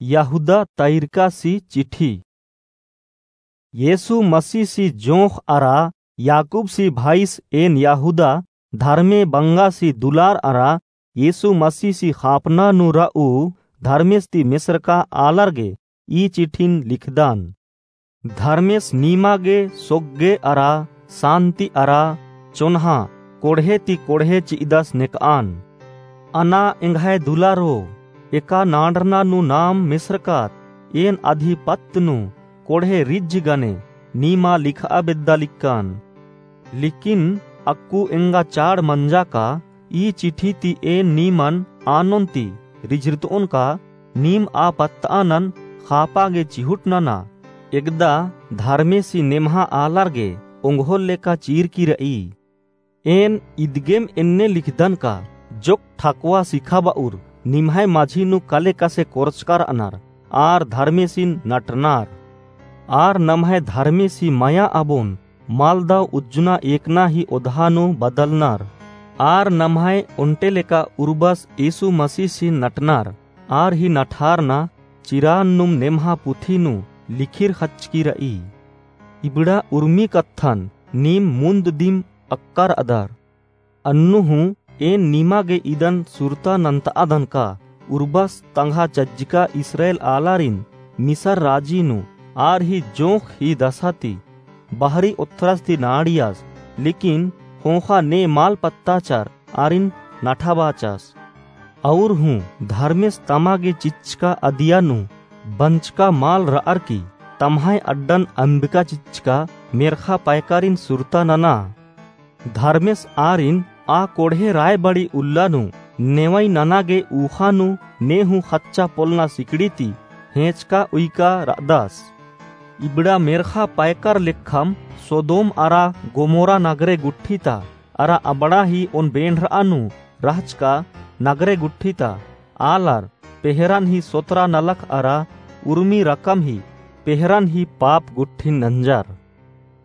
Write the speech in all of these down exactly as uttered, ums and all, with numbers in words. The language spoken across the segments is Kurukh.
यहूदा तइरकासी चिठी। येसु मसीसी जोंख़ अरा याकूबसी भाईस एन यहूदा, धर्मे बंगासी दुलार अरा येसु मसीसी ख़ापना नू रऊ धर्मेस ती मेसरका आलर गे ई चिठिन लिखदान। धर्मेस नीमा गे सोग्गे अरा सान्ति अरा चोन्हा कोड़हे ती कोड़हे चि'अदस नेक'अन। अना एंग्है दुलारो, एका नांड़रना नू नाम मेसरकात एन अदी पत्त नू कोड़हे रिझ गने नीमा लिख'आ बेद्दा लिक्कन। लिकिन अक्कु एंगा चाड़ मंजा का ई चिठी ती एन नीमन आनोन ती रिझरत'ओन का नीम आ पत्त'आ नन ख़ापा गे चिहुट नना। एकदा धर्मेसी नेम्हा आलर गे ओंगोल लेका चीरकी र'ई। एन इदगेम एन्ने लिखदन का जोक ठकुआ सिखाब'उर निम्है मझी नू कले कसे कोरचका र'अनर आर धर्मेसिन नटनर। आर नम्है धर्मेसी मया अबोन मलदव उज्जना एकना ही ओधा नू बदलनर। आर नम्है ओन्टे लेका उर्बस येसु मसीसिन नटनर। आर ही नठारना चिरान नुम नेम्हा पुथी नू लिखिर ख़च्चकी र'ई। इबड़ा उर्मी कत्थन नीम मुन्द दिम अक्कर अदर। अन्नु हूँ एन नीमा गे इदन सुरता नन्त'अदन का उर्बस तंग्हा चज्जका इस्राएल आलारिन मिसर राजी नू आर ही जोंख़ ही दसा ती बहरी ओथ्रस ती नाड़ियस, लिकिन ख़ोख़ा ने मल पत्ताचर आरिन नठाबाचस। अउर हूँ धर्मेस तमा गे चिच्चका अदिया नू बंचका मल र'अर की तम्है अड्डन अम्बिका चिच्चका मेर्ख़ा पैकारिन सुरता नना। धर्मेस आरिन आ कोड़हे रायबड़ी उल्ला नू नेवई नना गे ऊख़ा नू ने हूँ ख़च्चा पोलना सिकड़ी ती हेंचका उइका र'अदस। इबड़ा मेर्ख़ा पैकर लेखम सोदोम अरा गोमोरा नगरे गुट्ठी ता अरा अबड़ा ही ओन बेंड़र'आ नू रहचका नगरे गुट्ठी ता आलर पेहरन ही सोतरा नलख अरा उर्मी रकम ही पेहरन ही पाप गुट्ठिन नंजर।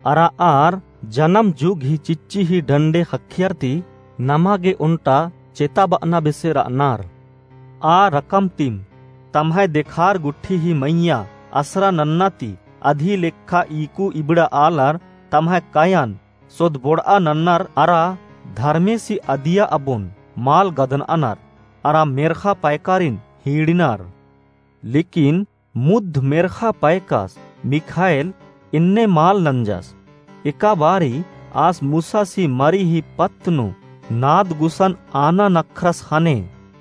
अरा आर जनम जुग ही चिच्ची ही डंडे ख़क्खियर ती नमा गे ओन्टा चेताब'अना बेसे र'अनर। आ रकम तिम तम्है देखार गुट्ठी ही मइय्याँ असरा नन्ना ती अदी लेखा ईकु इबड़ा आलर तम्है कयन सोदबोड़'आ नन्नर अरा धर्मेसी अदिया अबोन मल गदन'अनर अरा मेर्ख़ा पैकारिन हीड़िनर। लिकिन मुद्ध मेर्ख़ा पैकस मिख़ाएल एन्ने मल नंजस। एका बारी आस मूसासी मरी ही पत्त नू नाद गुसन आना नखरस ख़ने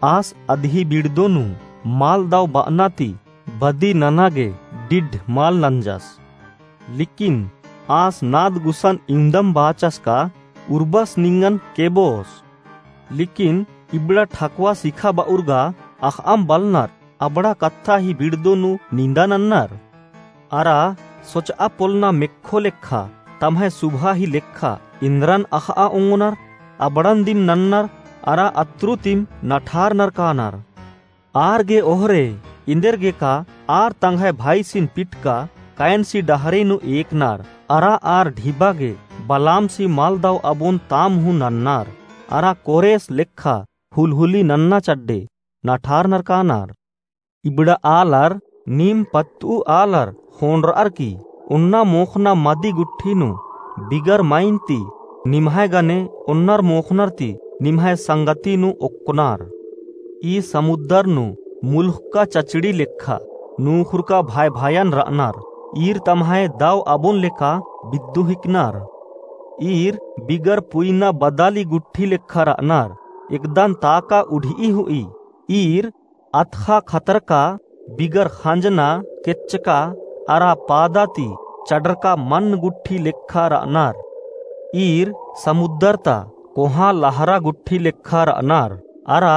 आस अदी बिड़दो नू मल दव ब'अना ती बदी नना गे डिड्ढ मल नंजस। लिकिन आस नाद गुसन इवंदम बाचस का उर्बस निंगन केबोस। लिकिन इबड़ा ठकुआ सिखाब'उर गा अख़'अम बलनर अबड़ा कत्था ही बिड़दो नू निंदा नन्नर। अरा सोच'आ पोलना मेक्खो लेखा तम्है सुभा ही लेखा इन्द्रन अख़'आ ओंगोनर अबड़न दिम नन्नर अरा अत्रु तिम नठारनर कानर। आर गे ओहरे इन्देर गे का आर तंग्है भाईसिन पिटका कयनसी डहरे नू एकनर अरा आर ढिबा गे बलामसी मल दव अबोन ताम हूँ नन्नर अरा कोरेस लेखा हुलहुली नन्ना चड्डे नठारनर कानर। इबड़ा आलर नीम पत्त'ऊ आलर ख़ोंड़र'अर की ओन्ना मोख़ना मदी गुट्ठी नू बिगर मइन ती निम्है गने ओन्नर मोख़नर ती निम्है संगति नू ओक्कनर। ई समुद्दर नू मुलुख़का चचड़ी लेखा नूख़ुरका भाय-भायन र'अनर। ईर तम्है दव अबोन लेखा बिद्दु हिकनर। ईर बिगर पुइना बदाली गुट्ठी लेखा र'अनर। एकदन ताका उढि'ई हु'ई। ईर अतख़ा खतरका बिगर ख़ंजना केच्चका अरा पादा ती चड़रका मन्न गुट्ठी लेखा र'अनर। ईर समुद्दर ता कोहाँ लहरा गुट्ठी लेखा र'अनर अरा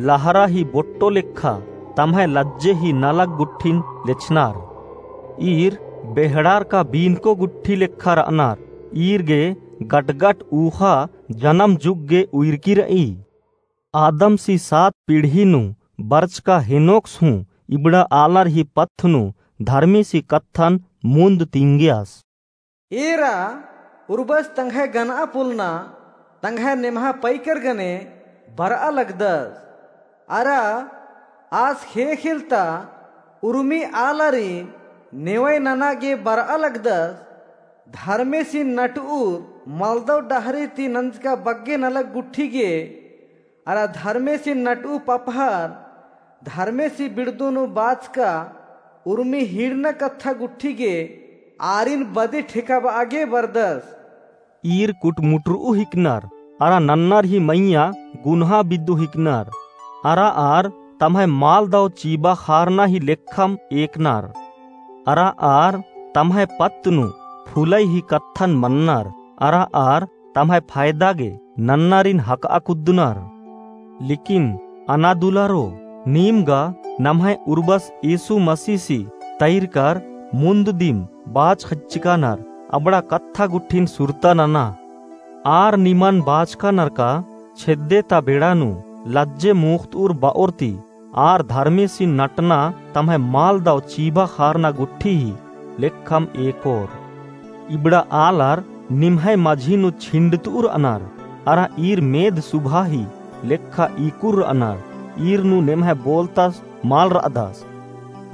लहरा ही बोट्टो लेखा तम्है लज्जे ही नलख गुट्ठिन लेछनर। ईर बेहड़ारका बीनको गुट्ठी लेखा र'अनर। ईर गे गटगट ऊख़ा जनम जुग गे उइरकी र'ई। आदमसी सात पीढ़ी नू बरचका हेनोकस हूँ इबड़ा आलर ही पत्थ नू धर्मेसी कत्थन मुन्द तिंगियस। एरा उर्बस तंग्है गनआ पोलना तंग्है नेम्हा पैकर गने बरआ लगदस। अरा आस ख़ेख़ेल ता उर्मी आलारिन नेवय नना गे बरआ लगदस, धर्मेसिन नटउर मलदव डहरे ती नंजका बग्गे नलख गुट्ठी गे, अरा धर्मेसिन नटउ पपहर, धर्मेसी बिड़दो नू बाचका उर्मी हिड़ना कत्था गुट्ठी गे, आरिन बदी ठेकाबआ गे बरदस। ईर कुटमुटरऊ हिकनर, अरा नन्नर ही मइय्याँ गुनहा बिद्दू हिकनर, अरा आर तम्है माल दव चीबा खारना ही लेखम एकनर, अरा आर तम्है पत्त नू फुलई ही कत्थन मन्नर, अरा आर तम्है फायदा गे नन्नरिन हकआ कुद्दनर। लेकिन अनादुलारो, नीम गा नम्है उर्बस यीशु मसीहसी तैरकर मुन्द दिम बाच खच्चकानर अबड़ा कत्था गुट्ठिन सुरता नना। आर निमन बाचकानर का छेद्दे ता बेड़ा नू लज्जे मुख्तउर बओर ती आर धर्मेसिन नटना तम्है माल दव चीबा खारना गुट्ठी ही लेखम एकोर। इबड़ा आलर निम्है मझी नू छिंडतउर अनर, अरा ईर मेद सुभा ही लेखा ईकुर अनर, ईर नू नेम्है बोलतस मल रअदस।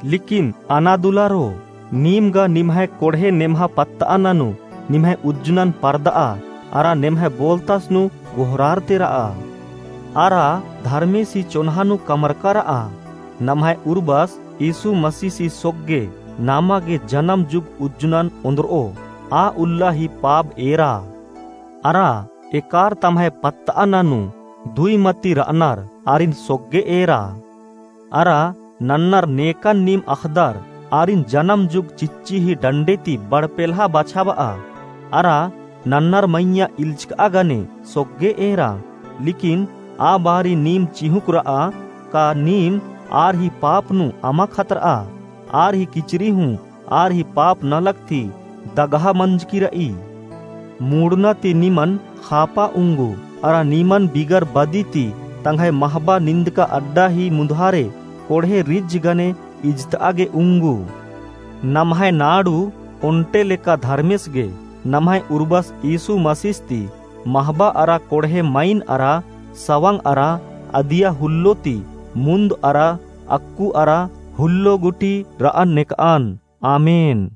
लेकिन अनादुलारो, नीम गा निम्है कोड़हे नेम्हा पत्तअना नू निम्है उज्जनन परदआ, अरा नेम्है बोलतस नू गोहरारते रआ। अरा धर्मेसी चोन्हा नू कमरका रआ, नम्है उर्बस यीशु मसीहसी सोग्गे नामा गे जनम जुग उज्जनन ओन्द्रओ, आ उल्ला ही पाप एरा। अरा एकार तम्है पत्तअना नू दुई मती रअनर आरिन सोग्गे एरा। अरा नन्नर नेकन नीम अख़दर आरिन जनम जुग चिच्ची ही डंडे ती बड़पेल्हा बछाबआ। अरा नन्नर मइय्याँ इल्चकआ गने सोग्गे एरा। लेकिन आ बारी नीम चिहुँक रआ का नीम आर ही पाप नू अमा खतरआ। आर ही किचरी हूँ आर ही पाप नलख ती दगहा मंजकी रई। मुड़ना ती निमन खापा उंगू, अरा निमन बिगर बदी ती तंग्है महबा निंदका अड्डा ही मुन्धारे कोड़हे रिज्ज गने इजतआ गे उंगू। नम्है नाड़ू ओन्टे लेका धर्मेस गे नम्है उर्बस यीशु मसीस ती महबा अरा कोड़हे मइन अरा सवंग अरा अदिया हुल्लो ती मुन्द अरा अक्कु अरा हुल्लो गुटी रअन नेकअन। आमेन।